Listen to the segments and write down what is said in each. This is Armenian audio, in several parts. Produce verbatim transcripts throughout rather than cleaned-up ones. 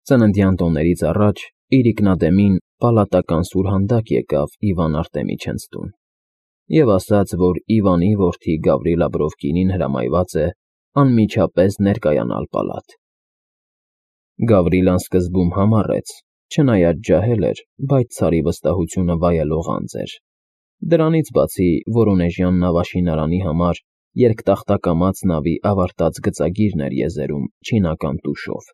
Ծննդյան տոներից առաջ իր ինքնադեմին պալատական սուրհանդակ եկավ Իվան Արտեմիչենց տուն և ասաց, որ Իվանի որդի Գավրիլ Աբրովկինին հրամայված է անմիջապես ներկայանալ պալատ։ Գավրիլան սկզբում համառեց, չնայած ջահել էր, բայց ցարի վստահությունը վայելող անձ էր։ Դրանից բացի Վորոնեժյան նավաշինարանի համար երկտախտակամած նավի ավարտած գծագիրն էր եզերում չինական տուշով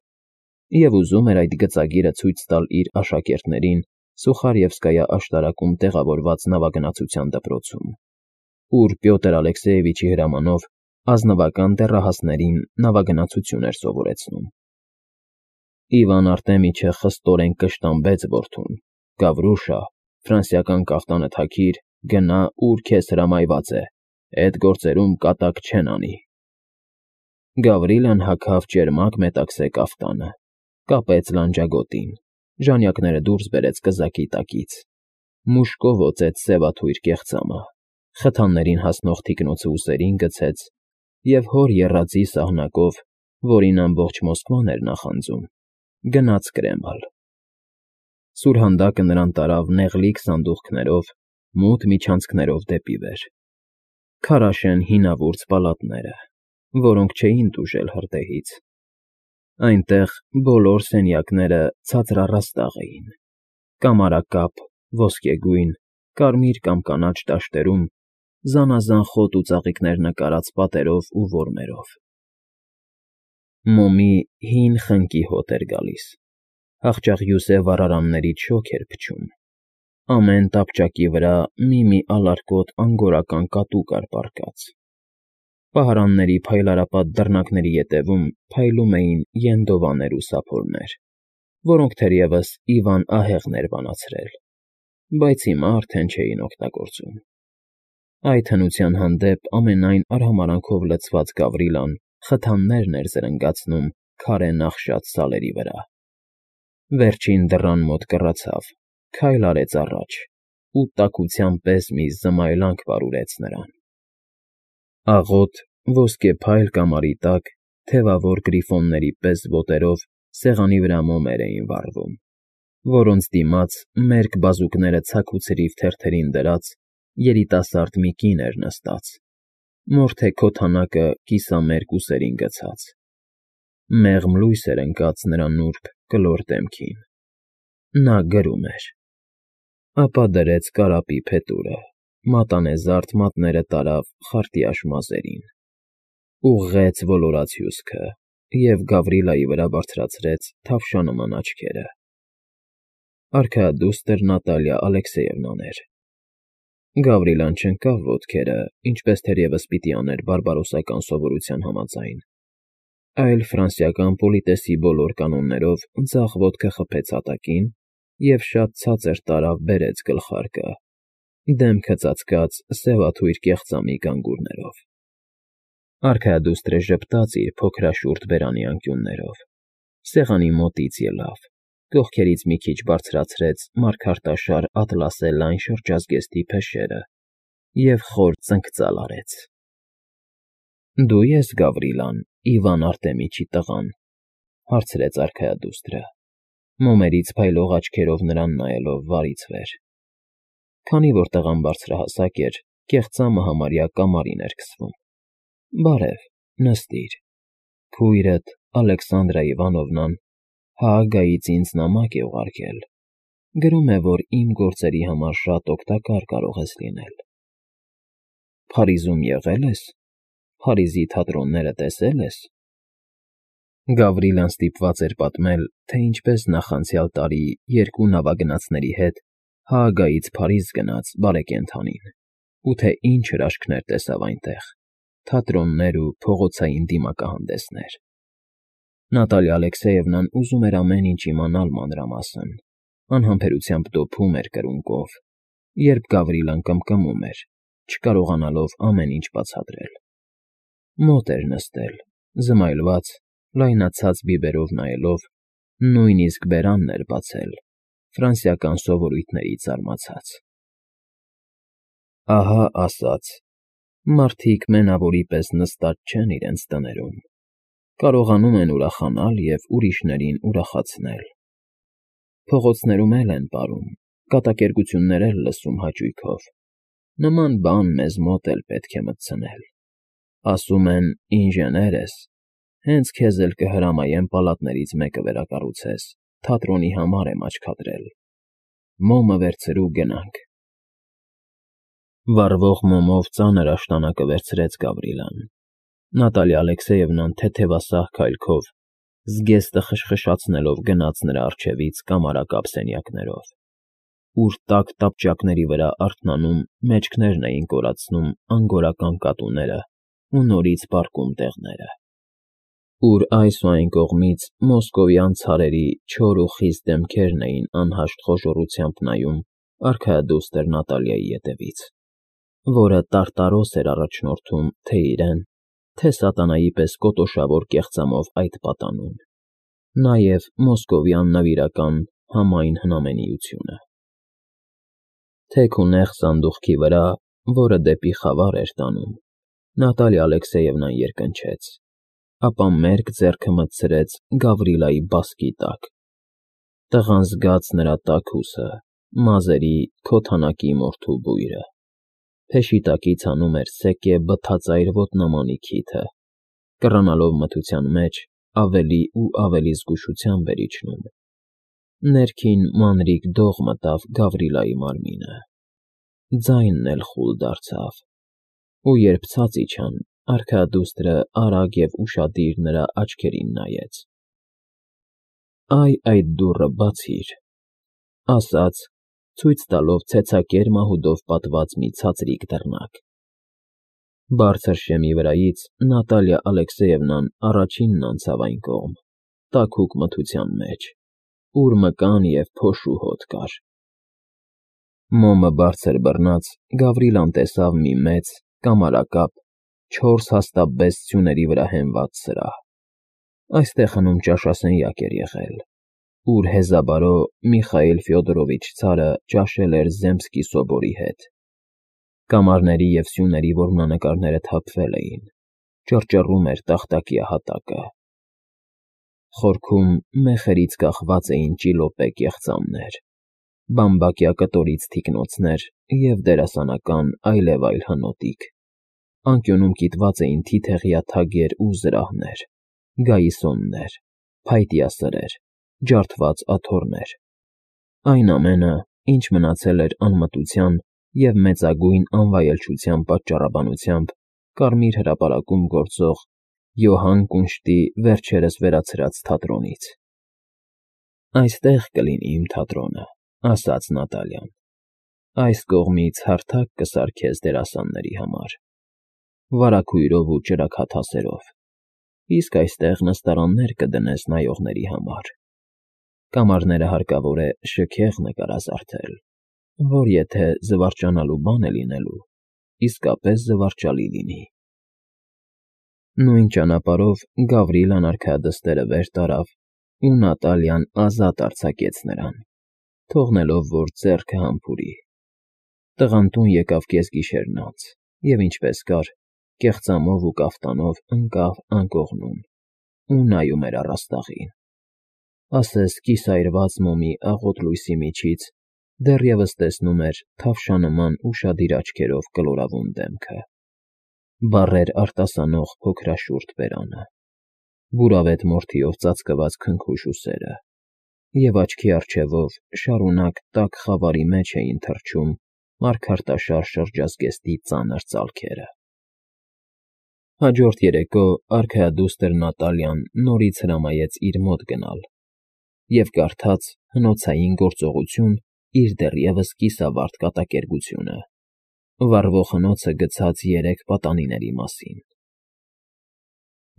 և ուզում էր այդ գծագիրը ցույց տալ իր աշակերտներին Սուխարևսկայա աշտարակում տեղավորված նավագնացության դպրոցում, ուր Պյոտր Ալեքսեևիչի հրամանով ազնվական դեռահասներին նավագնացություն էր սովորեցնում։ Իվան Արտեմիչը խստորեն կշտամբեց որդուն. «Գավրուշա, ֆրանսիական կաֆտանը թաքիր, գնա, ուր քեզ հրամայված է, էդ գործերում կատակ չեն անի»։ Գավրիլն հագավ ճերմակ մետաքսե կաֆտանը, կապեց լանջագոտին, ժանյակները դուրս բերեց կզակի տակից, մուշկով օծեց սևաթույր կեղծամը, խթաններին հասնող թիկնոցը ուսերին գցեց և հոր եռածի սահնակով, որին ամբողջ Մոսկվան էր նախանձում, գնաց Կրեմլ։ Սուրհանդակը նրան տարավ նեղլիկ սանդուղքներով, մութ միջանցքներով դեպի վեր, քարաշեն հինավուրց պալատները, որոնք չէին տուժել հրդեհից։ Այնտեղ բոլոր սենյակները ցածրառաստաղ էին, կամարակապ, ոսկեգույն, կարմիր կամ կանաչ դաշտերում զանազան խոտ ու ծաղիկներ նկարած պատերով ու որմերով։ Մոմի հին խնկի հոտ էր գալիս, հախճախյուսե վառարաններից շոգ էր փչում, ամեն տապճակի վրա մի֊մի ալարկոտ անգորական կատու կար պառկած։ Պահարանների փայլարապատ դռնակների ետևում փայլում էին ենդովաներ ու սափորներ, որոնք թերևս Իվան ահեղն էր բանացրել, բայց հիմա արդեն չէին օգտագործում։ Այդ հնության հանդեպ ամենայն արհամարհանքով լցված Գավրիլան խթաններն էր զրնգացնում քարե նախշած սալերի վրա։ Վերջին դռան մոտ կռացավ, քայլ արեց առաջ ու տաքության պես մի զմայլանք վարուրեց նրան։ Աղոտ, ոսկեփայլ կամարի տակ թևավոր գրիֆոնների պես ոտերով սեղանի վրա մոմեր էին վառվում, որոնց դիմաց մերկ բազուկները ցաքուցրիվ թերթերին դրած երիտասարդ մի կին էր նստած, մորթե քոթանակը կիսամերկ ուսերին գցած։ Մեղմ լույս էր ընկած նրա նուրբ կլոր դեմքին։ Նա գրում էր։ Ապա դրեց կարապի փետուրը, մատանեզարդ մատները տարավ խարտյաշ մազերին, ուղղեց ոլորած հյուսքը և Գավրիլայի վրա բարձրացրեց թավշանման աչքերը։ Արքայադուստր Նատալիա Ալեքսեևնան էր։ Գավրիլան չընկավ ոտքերը, ինչպես թերևս պիտի աներ բարբարոսական սովորության համաձայն, այլ ֆրանսիական պոլիտեսի բոլոր կանոններով ձախ ոտքը խփեց հատակին և շատ ցածր տարավ բերեց գլխարկը, դեմքը ծածկած սևաթույր կեղծամի գանգուրներով։ Արքայադուստրը ժպտաց իր փոքրաշուրթ բերանի անկյուններով, սեղանի մոտից ելավ, կողքերից մի քիչ բարձրացրեց մարգարտաշար ատլասե լայն շրջազգեստի փեշերը և խոր ծնկծալ արեց։ ֊ Դու ես Գավրիլան, Իվան Արտեմիչի տղան,֊ հարցրեց արքայադուստրը, մոմերից փայլող աչքերով նրան նայելով վարից վեր։ Քանի որ տղան բարձրահասակ էր, կեղծամը համարյա կամարին էր քսվում։ ֊ Բարև, նստիր։ Քույրդ Ալեքսանդրա Իվանովնան Հաագայից ինձ նամակ է ուղարկել, գրում է, որ իմ գործերի համար շատ օգտակար կարող ես լինել։ Փարիզում եղե՞լ ես, Փարիզի թատրոնները տեսե՞լ ես։ Գավրիլան ստիպված էր պատմել, թե ինչպես նախանցյալ տարի երկու նավագնացների հետ Հաագայից Փարիզ գնաց բարեկենդանին ու թե ինչ հրաշքներ տեսավ այնտեղ, թատրոններ ու փողոցային դիմակահանդեսներ։ Նատալիա Ալեքսեևնան ուզում էր ամեն ինչ իմանալ մանրամասն, անհամբերությամբ դոփում էր կրունկով, երբ Գավրիլան կմկմում էր, չկարողանալով ամեն ինչ բացատրել։ Մոտ էր նստել, զմայլված, լայնացած բիբերով նայելով, նույնիսկ բերանն էր բացել, ֆրանսիական սովորույթներից զարմացած։ Ահա ասաց. մարդիկ մենավորի պես նստած չեն իրենց տներում, կարողանում են ուրախանալ և ուրիշներին ուրախացնել։ Փողոցներում էլ են պարում, կատակերգություններ էլ լսում հաճույքով։ Նման բան մեզ մոտ էլ պետք է մտցնել։ Ասում են՝ ինժեներ ես, հենց քեզ էլ կհրամայեմ պալատներից մեկը վերակառուցես, թատրոնի համար եմ աչքադրել։ Մոմը վերցրու, գնանք։ Վառվող մոմով ծանր աշտանակը վերցրեց Գավրիլան։ Նատալիա Ալեքսեևնան թեթևասահ քայլքով, զգեստը խշխշացնելով գնաց նրա առջևից կամարակապ սենյակներով, ուր տաք տապճակների վրա արթնանում մեջքներն էին կորացնում անգորական կատուները ու նորից պառկում տեղները, ուր այս ու այն կողմից մոսկովյան ցարերի չոր ու խիտ դեմքերն էին անհաշտ խոժոռությամբ նայում արքայադուստր Նատալիայի ետևից, որը տարտարոս էր առաջնորդում թե իրեն, թե սատանայի պես կոտոշավոր կեղծամով այդ պատանուն, նաև մոսկովյան նվիրական համայն հնամենիությունը։ Թեք ու նեղ սանդուղքի վրա, որը դեպի խավար էր տանում, Նատալիա Ալեքսեևնան երկնչեց, ապա մերկ ձեռքը մտցրեց Գավրիլայի բասկի տակ։ Տղան զգաց նրա տաք ուսը, մազերի, քոթանակի մորթու բույրը։ Փեշի տակից հանում էր սեկե բթածայր ոտնամանի քիթը, կռանալով մթության մեջ ավելի ու ավելի զգուշությամբ էր իջնում։ Ներքին մանրիկ դող մտավ Գավրիլայի մարմինը, ձայնն էլ խուլ դարձավ, ու երբ ցած իջան, արքայադուստրը արագ և ուշադիր նրա աչքերին նայեց։ «Այ այդ դուռը բացիր», ասաց, ցույց տալով ցեցակեր մահուդով պատված մի ցածրիկ դռնակ։ Բարձր շեմի վրայից Նատալիա Ալեքսեևնան առաջինն անցավ այն կողմ, տաքուկ մթության մեջ, ուր մկան և փոշու հոտ կար։ Մոմը բարձր բռնած Գավրիլան տեսավ մի մեծ, կամարակապ, չորս հաստաբեծ սյուների վրա հենված սրահ։ Այստեղ հնում ճաշասենյակ էր եղել, ուր հեզաբարո Միխայիլ Ֆյոդորովիչ ցարը ճաշել էր Զեմսկի սովորի հետ։ Կամարների և սյուների որմնանկարները թափվել էին, ճռճռում էր տախտակյա հատակը։ Խորքում մեխերից կախված էին ճիլոպե կեղծամներ, բամբակյա կտորից թիկնոցներ և դերասանական այլևայլ հնոտիկ։ Անկյունում կիտված էին թիթեղյա թագեր ու զրահներ, գայիսոններ, փայտյա սրեր, ջարդված աթոռներ, այն ամենը, ինչ մնացել էր անմտության և մեծագույն անվայելչության պատճառաբանությամբ Կարմիր հրապարակում գործող Յոհան Կունշտի վերջերս վերացրած թատրոնից։ «Այստեղ կլինի իմ թատրոնը», ասաց Նատալիան։ «Այս կողմից հարթակ կսարքես դերասանների համար, վարագույրով ու ճրագաթասերով, իսկ այստեղ նստարաններ կդնես նայողների համար։ Կամարները հարկավոր է շքեղ նկարազարդել, որ եթե զվարճանալու բան է լինելու, իսկապես զվարճալի լինի»։ Նույն ճանապարհով Գավրիլան արքայադստերը վեր տարավ ու Նատալիան ազատ արձակեց նրան, թողնելով, որ ձեռքը համբուրի։ Տղան տուն եկավ կեսգիշերն անց և ինչպես կար, կեղծամով ու կաֆտանով ընկավ անկողնում ու նայում էր առաստաղին։ Ասես կիսայրված մոմի աղոտ լույսի միջից դեռևս տեսնում էր թավշանման ուշադիր աչքերով կլորավուն դեմքը, բառեր արտասանող փոքրաշուրթ բերանը, բուրավետ մորթիով ծածկված քնքուշ ուսերը, և աչքի առջևով շարունակ տաք խավարի մեջ էին թռչում մարգարտաշար շրջազգեստի ծանր ծալքերը։ Հաջորդ երեկո արքայադուստր Նատալիան նորից հրամայեց իր մոտ գնալ և կարդաց հնոցային գործողություն իր դեռևս կիսավարդ կատակերգությունը, վառվող հնոցը գցած երեք պատանիների մասին։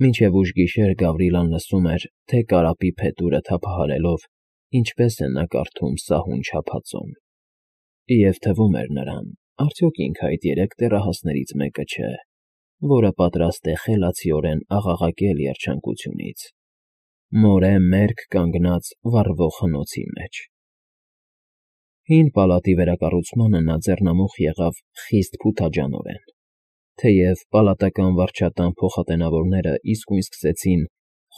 Մինչև ուշ գիշեր Գավրիլան լսում էր, թե կարապի փետուրը թափահարելով ինչպես է նա կարդում սահուն չափածոն, և թվում էր նրան, արդյոք ինքը այդ երեք դեռահասներից մեկը չէ, որը պատրաստ է խելացիորեն աղաղակել երջանկությունից, մորե մերկ կանգնած վառվող հնոցի մեջ։ Հին պալատի վերակառուցմանը նա ձեռնամուխ եղավ խիստ փութաջանորեն, թեև պալատական վարչատան փոխատենավորները իսկույն սկսեցին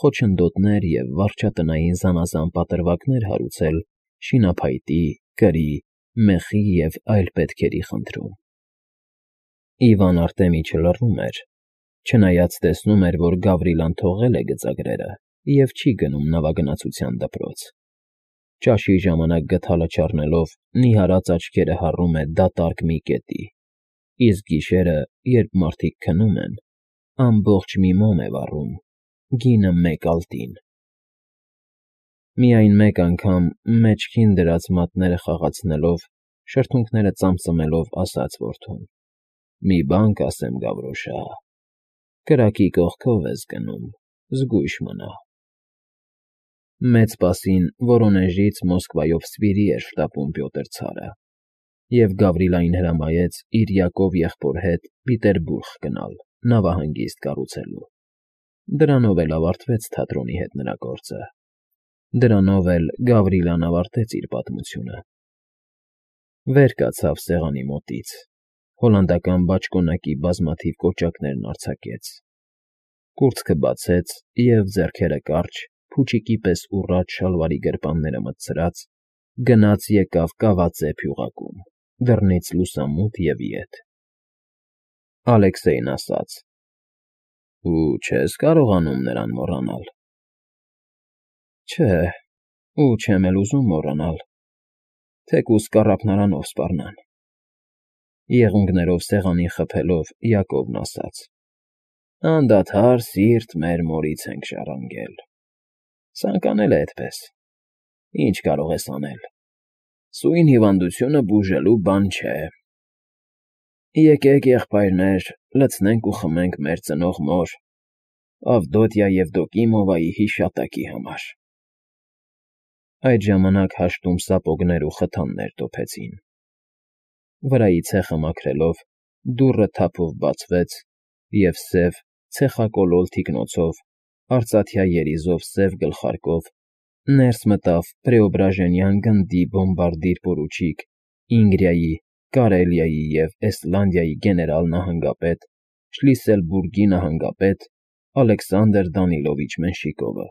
խոչընդոտներ և վարչատնային զանազան պատրվակներ հարուցել շինափայտի, կրի, մեխի և այլ պետքերի խնդրում։ Իվան Արտեմիչը լռում էր, չնայած տեսնում էր, որ Գավրիլան թողել է գծագրերը և չի գնում նավագնացության դպրոց։ Ճաշի ժամանակ գդալը չառնելով նիհարած աչքերը հառում է դատարկ մի կետի, իսկ գիշերը, երբ մարդիկ քնում են, ամբողջ մի մոմ է վառում, գինը մեկ ալտին։ Միայն մեկ անգամ, մեջքին դրած մատները խաղացնելով, շրթունքները ծամծմելով ասաց որդուն. «Մի բան կասեմ, Գավրոշա, կրակի կողքով ես գնում, զգույշ մնա»։ Մեծ Սպասին Վորոնեժից Մոսկվայով սպիրի էր շտապում Պյոտր ցարը, և Գավրիլային հրամայեց իր Յակով եղբոր հետ Պիտերբուրգ գնալ նավահանգիստ կառուցելու։ Դրանով էլ ավարտվեց թատրոնի հետ նրա գործը, դրանով էլ Գավրիլան ավարտեց իր պատմությունը։ Վեր կացավ սեղանի մոտից, հոլանդական բաճկոնակի բազմաթիվ կոճակներն արձակեց, կուրծքը բացեց և, ձեռքերը կարճ, փուչիկի պես ուռած շալվարի գրպանները մտցրած, գնաց եկավ կավածե փյուղակում, դռնից լուսամուտ և ետ։ Ալեքսեյն ասաց. «Ու չես կարողանում նրան մոռանալ»։ Չէ, ու չեմ էլ ուզում մոռանալ, թեկուզ կառափնարանով սպառնան։ Եղունգներով սեղանին խփելով՝ Յակովն ասաց. «Անդադար սիրտ մեր մորից ենք ժառանգել, ցանկանել է էդպես, ինչ կարող ես անել, սույն հիվանդությունը բուժելու բան չէ։ Եկեք, եղբայրներ, լցնենք ու խմենք մեր ծնող մոր Ավդոտյա Եվդոկիմովնայի հիշատակի համար»։ Այդ ժամանակ հաշտում սապոգներ ու խթաններ տոփեցին։ Վրայի ցեխը մաքրելով՝ դուռը թափով բացվեց, և սև, ցեխակոլոր թիկնոցով, արծաթյա երիզով սև գլխարկով ներս մտավ Պրեոբրաժենյան գնդի բոմբարդիր պորուչիկ Ինգրիայի, Կարելիայի և Էստլանդիայի գեներալ֊նահանգապետ, Շլիսելբուրգի նահանգապետ Ալեքսանդր Դանիլովիչ Մենշիկովը։